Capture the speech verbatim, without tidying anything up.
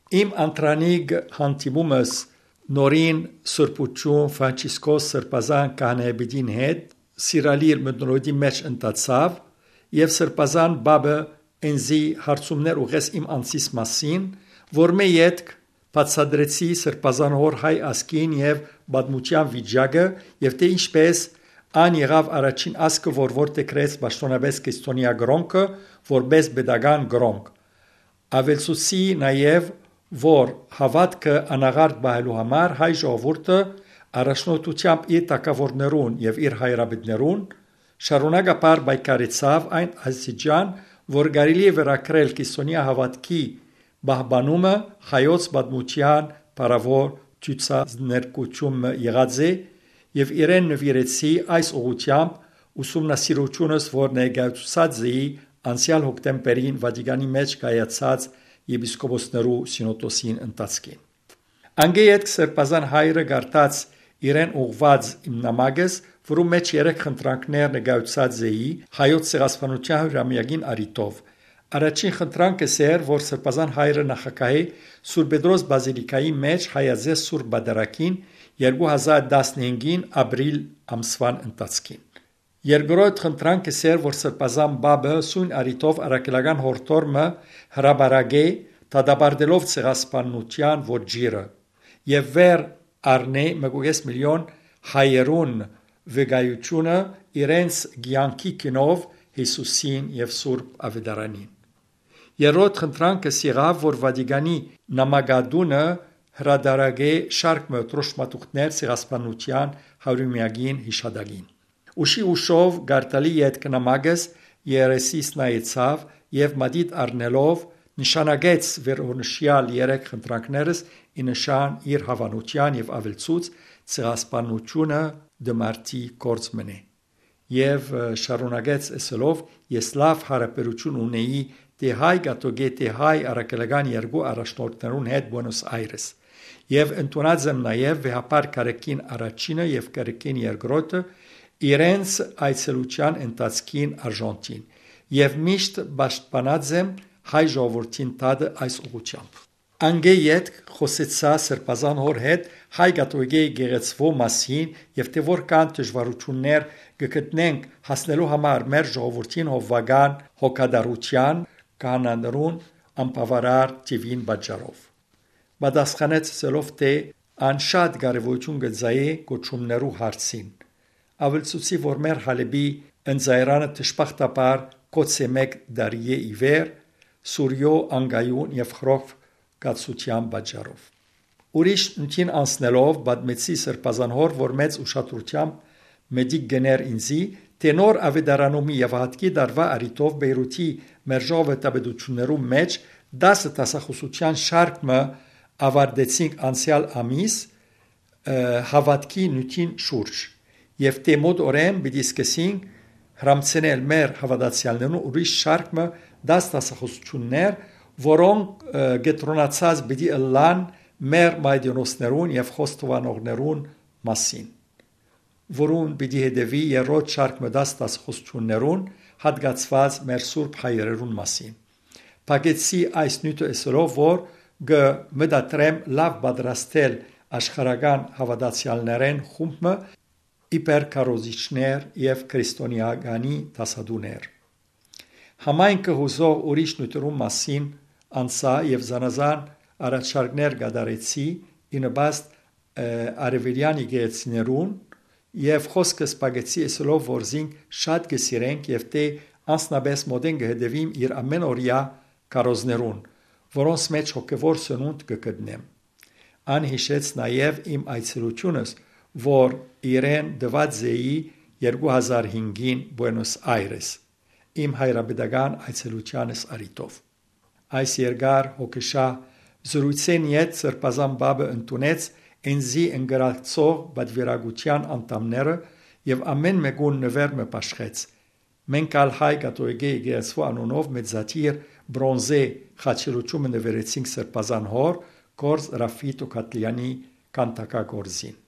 Իմ անդրանիկ հանդիպումս նորին Սրբութիւն Ֆրանցիսկոս Սրբազան Քահանայապետին հետ Սիրալիր մթնոլորտի մէջ ընթացաւ եւ Սրբազան Պապը ինծի հարցումներ ուղղեց իմ անձիս մասին, որ մէ ետք բացատրեցի Սրբազան Հօր հայ ազգին եւ պատմութեան վիճակը եւ թէ ինչպէս ան եղաւ առաջին ազգը, որ որդեգրեց պաշտօնապէս քրիստոնեայ կրօնքը որպէս պետական կրօնք։ Աւելցուցի նաեւ, որ հաւատքը անաղարտ պահելու համար հայ ժողովուրդը առաջնորդութեամբ իր թագաւորներուն եւ իր հայրապետներուն շարունակաբար պայքարեցաւ այն աստիճան, որ կարելի է վերագրել քրիստոնեայ հաւատքի պահպանումը հայոց պատմութեան փառաւոր ցուցանշանութիւնը եղած է, եւ իրեն նուիրեցի այս ուղղութեամբ ուսումնասիրութիւնս, որ ներկայացուցած էի անցեալ հոկտեմբերին Վատիկանի մէջ կայացած եպիսկոպոսներու սինոդոսին ընթացքին։ Անկէ ետք Սրբազան հայրը կարդաց իրեն ուղղուած իմ նամակս, որու մէջ երեք խնդրանքներ ներկայացուցած էի հայոց ցեղասպանութեան հիւրամեակին առիթով։ Առաջին խնդրանքս էր, որ Սրբազան հայրը նախագահէ Սուրբ Պետրոս բազիլիկայի մէջ հայաձեզ Սուրբ Պատարագին երկու հազար տասնհինգին ապրիլ ամսուան ընթացքին։ Երկրորդ խնդրանքս էր, որ Սրբազան Պապը սոյն առիթով առաքելական յորդոր մը հրապարակէ, դատապարտելով ցեղասպանութեան ոճիրը, եւ վեր առնէ մէկ ու կէս միլիոն հայերուն վկայութիւնը իրենց կեանքի գինով Յիսուսին եւ Սուրբ Աւետարանին։ Երրորդ խնդրանքս եղաւ, որ Վատիկանի նամակատունը հրատարակէ շարք մը դրոշմատուղքներ ցեղասպանութեան հարիւրամեակին յիշատակին։ Ուշի ուշով կարդալի ետք նամակս երեսիս նայեցաւ եւ մատիտ առնելով նշանակեց վերոնշեալ երեք խնդրանքներս ի նշան իր հաւանութեան եւ աւելցուց. «Ցեղասպանութիւնը դմարտի գործ մըն է»։ Եւ, ը, շարունակեց ըսելով. «Ես լաւ յարաբերութիւն ունեի թէ հայ կաթողիկէ, թէ հայ առաքելական երկու առաջնորդներուն հետ Բուենոս Այրես։ Եւ ընդունած եմ նաեւ վեհափառ Գարեգին առաջինը եւ Գարեգին երկրորդը իրենց այցելութեան ընթացքին Արժանթին եւ միշտ պաշտպանած եմ հայ ժողովրդին դատը այս ուղղութեամբ»։ Անկէ ետք խօսեցայ Սրբազան Հօր հետ հայ կաթողիկէ եկեղեցւոյ մասին եւ թէ որքան դժուարութիւններ կը գտնենք հասնելու համար մեր ժողովրդին հովուական հոգատարութեան, քահանաներուն անբաւարար թիւին պատճառով։ Պատասխանեց ըսելով թէ անշատ կարեւորութիւն կը ծայէ կոչումներու հարցին։ Աւելցուցի, որ մեր Հալէպի ընծայրանը դժբախտաբար գոց է մէկ տարիէ ի վեր Սուրիոյ անկայուն եւ խռով կացութեան պատճառով։ Ուրիշ նիւթին անցնելով՝ պատմեցի Սրբազան Հօր, որ մեծ ուշադրութեամբ մտիկ կ'ընէր ինծի, թէ նոր աւետարանումի եւ հատկի տարուայ առիթով Պէյրութի մեր ժողովրդապետութիւններու մէջ տասը դասախօսութեան շարք մը աւարտեցինք անցեալ ամիս, ը, հաւատքի նիւթին շուրջ, եւ թէ մօտ օրէն պիտի սկսենք հրամցնել մեր հաւատացեալներուն ուրիշ շարք մը տաս դասախօսութիւններ, որոնք, ը, կեդրոնացած պիտի ըլլան մեր մայրենոսներուն եւ խոստովանողներուն մասին, որուն պիտի հետեւի երրորդ շարք մը տաս դասախօսութիւններուն, հատկացուած մեր սուրբ հայրերուն մասին։ Փակեցի այս նիւթը ըսելով, որ կը մտադրեմ լաւ պատրաստել աշխարհական հաւատացեալներէն խումբ մը իբեր քարոզիչներ եւ քրիստոնեականի դասատուներ։ Համայնքը յուսող ուրիշ նիւթերուն մասին անսայ եւ զանազան առաջարկներ կատարեցի ի նպաստ, ը, արեւելեան եկեղեցիներուն եւ խօսքս փակեցի ըսելով, որ զինք շատ կը սիրենք եւ թէ անձնապէս մօտէն կը հետեւիմ իր ամէն օրեայ քարոզներուն, որոնց մէջ հոգեւոր սնունդ կը գտնեմ։ Ան յիշեց նաեւ իմ այցելութիւնս, որ իրեն տուած էի երկու հազար հինգին Բուենոս Այրես, իմ հայրապետական այցելութեանս առիթով։ Այս երկար հոգեշահ զրույցէն յետ Սրբազան Պապը ընդունեց ինծի ընկերակցող պատուիրակութեան անդամները եւ ամէն մէկուն նուէր մը բաշխեց։ Մենք ալ հայ կաթողիկէ եկեղեցւոյ անունով մեծադիր պրոնզե խաչելութիւնը նուիրեցինք Սրբազան Հօր, կորս Ռաֆի Տոքատլեանի քանդակագործին։